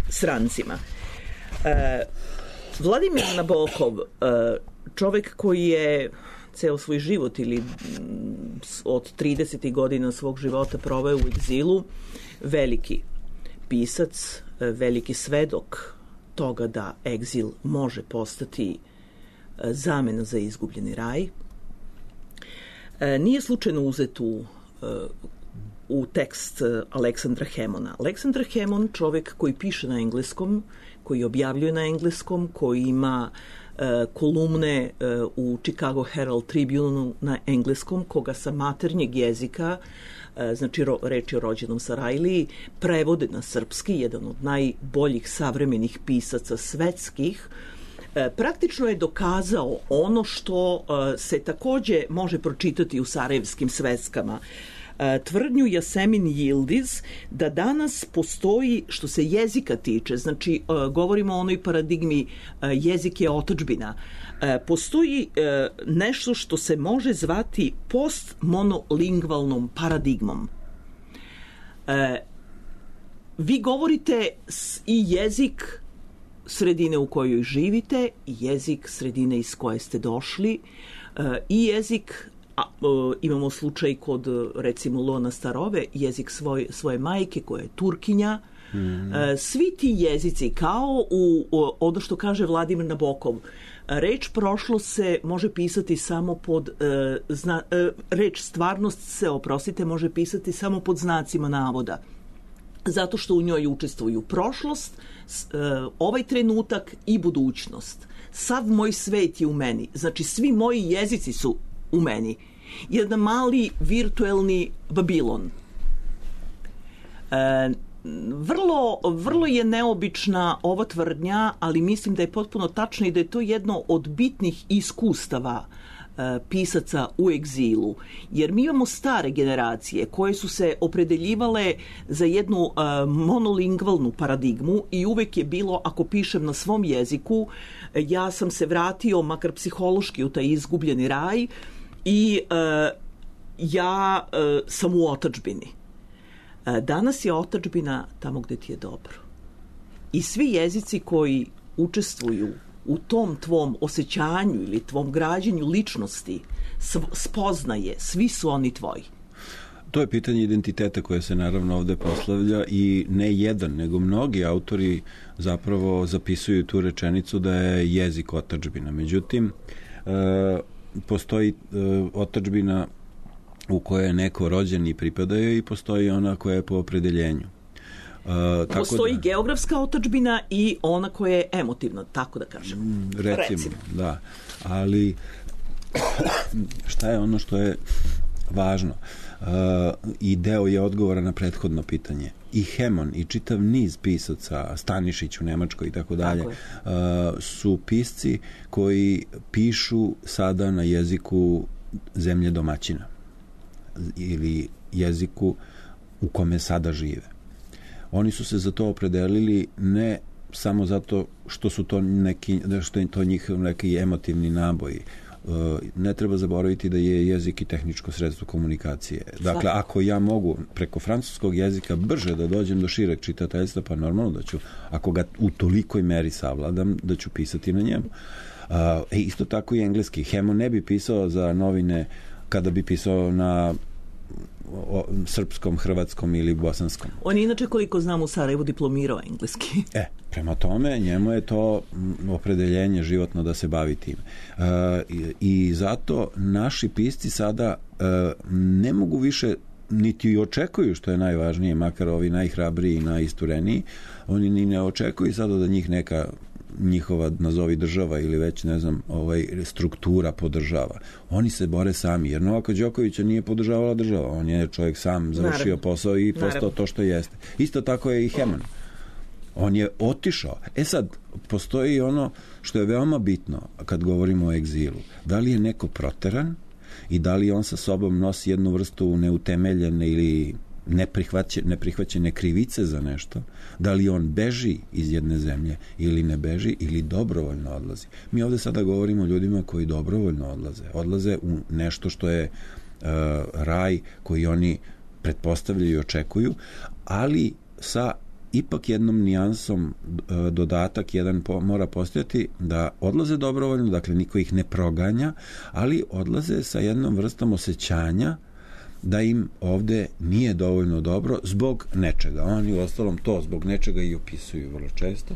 srancima. E, Vladimir Nabokov, e, čovek koji je ceo svoj život ili od tridesetih godina svog života proveo u egzilu, veliki pisac, veliki svedok toga da egzil može postati zamena za izgubljeni raj. Nije slučajno uzet u, u tekst Aleksandra Hemona. Aleksandar Hemon, čovek koji piše na engleskom, koji objavljuje na engleskom, koji ima kolumne u Chicago Herald Tribune na engleskom, koga sa maternjeg jezika, znači reč je o rođenom Sarajliji, prevode na srpski, jedan od najboljih savremenih pisaca svetskih, praktično je dokazao ono što se takođe može pročitati u sarajevskim sveskama. Tvrdnju Jasemin Yildiz da danas postoji, što se jezika tiče, znači govorimo o onoj paradigmi jezik je otadžbina, postoji nešto što se može zvati postmonolingvalnom paradigmom. Vi govorite i jezik sredine u kojoj živite, i jezik sredine iz koje ste došli, i jezik, a, imamo slučaj kod recimo Lona Starove, jezik svoj, svoje majke koja je Turkinja. Mm. Svi ti jezici, kao u, ono što kaže Vladimir Nabokov, reč prošlost se može pisati samo pod zna, reč stvarnost se, oprostite, može pisati samo pod znacima navoda, zato što u njoj učestvuju prošlost, ovaj trenutak i budućnost. Sav moj svet je u meni, znači svi moji jezici su u meni. Jedan mali virtuelni Babilon. E, vrlo, vrlo je neobična ova tvrdnja, ali mislim da je potpuno tačna i da je to jedno od bitnih iskustava e, pisaca u egzilu. Jer mi imamo stare generacije koje su se opredeljivale za jednu e, monolingvalnu paradigmu i uvek je bilo, ako pišem na svom jeziku, ja sam se vratio, makar psihološki, u taj izgubljeni raj, i e, ja e, sam u otadžbini. E, danas je otadžbina tamo gde ti je dobro. I svi jezici koji učestvuju u tom tvom osjećanju ili tvom građenju ličnosti spoznaje, svi su oni tvoji? To je pitanje identiteta koje se naravno ovde proslavlja i ne jedan, nego mnogi autori zapravo zapisuju tu rečenicu da je jezik otadžbina. Međutim, e, postoji e, otadžbina u kojoj je neko rođen i pripadaju i postoji ona koja je po opredeljenju. Uh, tako postoji da, geografska otadžbina i ona koja je emotivna, tako da kažem. Recimo, recimo. Da. Ali šta je ono što je važno? Uh, I deo je odgovora na prethodno pitanje. I Hemon i čitav niz pisaca, Stanišić u Nemačkoj i tako dalje, su pisci koji pišu sada na jeziku zemlje domaćina ili jeziku u kome sada žive. Oni su se za to opredelili ne samo zato što su to neki, što je to njih neki emotivni naboj. Ne treba zaboraviti da je jezik i tehničko sredstvo komunikacije. Dakle, ako ja mogu preko francuskog jezika brže da dođem do šireg čitateljstva, pa normalno da ću, ako ga u tolikoj meri savladam, da ću pisati na njemu. E, isto tako i engleski. Hemon ne bi pisao za novine kada bi pisao na o, srpskom, hrvatskom ili bosanskom. On je inače, koliko znam, u Sarajevu diplomirao engleski. E, prema tome, njemu je to opredeljenje životno da se bavi tim. E, i, i zato naši pisci sada e, ne mogu više niti i očekuju, što je najvažnije, makar ovi najhrabriji i najistureniji, oni ni ne očekuju sada da njih neka njihova, nazovi država ili već, ne znam, ovaj, struktura podržava. Oni se bore sami, jer Novaka Đokovića nije podržavala država. On je čovjek sam završio Naravno. posao i postao Naravno. to što jeste. Isto tako je i Hemon. On je otišao. E sad, postoji ono što je veoma bitno kad govorimo o egzilu. Da li je neko proteran i da li on sa sobom nosi jednu vrstu neutemeljene ili neprihvaćene, neprihvaćene krivice za nešto, da li on beži iz jedne zemlje ili ne beži ili dobrovoljno odlazi. Mi ovde sada govorimo o ljudima koji dobrovoljno odlaze. Odlaze u nešto što je uh, raj koji oni pretpostavljaju i očekuju, ali sa ipak jednom nijansom uh, dodatak jedan po, mora postojati da odlaze dobrovoljno, dakle niko ih ne proganja, ali odlaze sa jednom vrstom osjećanja da im ovde nije dovoljno dobro zbog nečega. Oni u ostalom to zbog nečega i opisuju vrlo često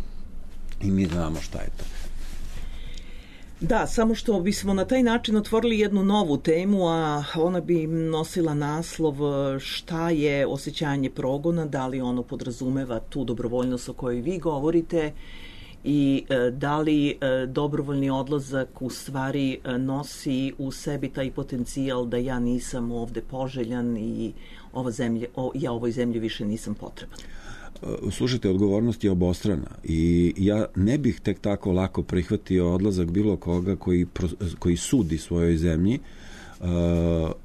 i mi znamo šta je to. Da, samo što bismo na taj način otvorili jednu novu temu, a ona bi nosila naslov šta je osjećanje progona, da li ono podrazumeva tu dobrovoljnost o kojoj vi govorite i e, da li e, dobrovoljni odlazak u stvari e, nosi u sebi taj potencijal da ja nisam ovde poželjan i ova zemlja, o, ja ovoj zemlji više nisam potreban. Slušajte, odgovornost je obostrana i ja ne bih tek tako lako prihvatio odlazak bilo koga koji, koji sudi svojoj zemlji, uh,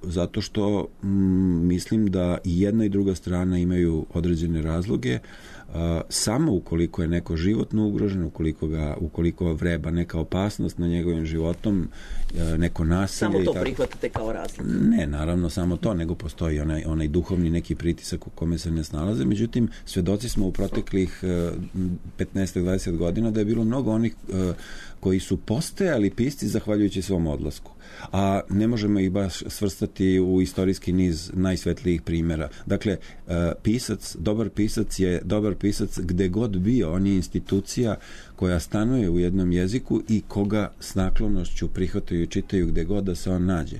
zato što mm, mislim da i jedna i druga strana imaju određene razloge. Uh, samo ukoliko je neko životno ugrožen, ukoliko ga, ukoliko vreba neka opasnost na njegovim životom, uh, neko nasilje. Samo to prihvatate kao razlog? Ne, naravno samo to, nego postoji onaj, onaj duhovni neki pritisak u kome se ne snalaze. Međutim, svedoci smo u proteklih uh, petnaest do dvadeset godina da je bilo mnogo onih uh, koji su postajali pisci zahvaljujući svom odlasku. A ne možemo ih baš svrstati u istorijski niz najsvetlijih primjera. Dakle, pisac, dobar pisac je dobar pisac gde god bio. On je institucija koja stanuje u jednom jeziku i koga s naklonošću prihvataju i čitaju gde god da se on nađe.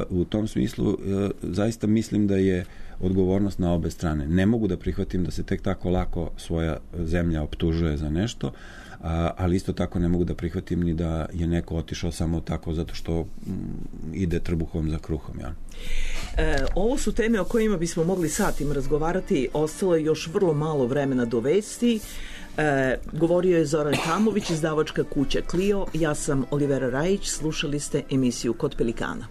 U tom smislu zaista mislim da je odgovornost na obe strane. Ne mogu da prihvatim da se tek tako lako svoja zemlja optužuje za nešto, A, ali isto tako ne mogu da prihvatim ni da je neko otišao samo tako zato što mm, ide trbuhom za kruhom. Ja. E, ovo su teme o kojima bismo mogli satima razgovarati, ostalo je još vrlo malo vremena do vesti. E, govorio je Zoran Hamović, izdavačka kuća Clio, ja sam Olivera Rajić, slušali ste emisiju Kod Pelikana.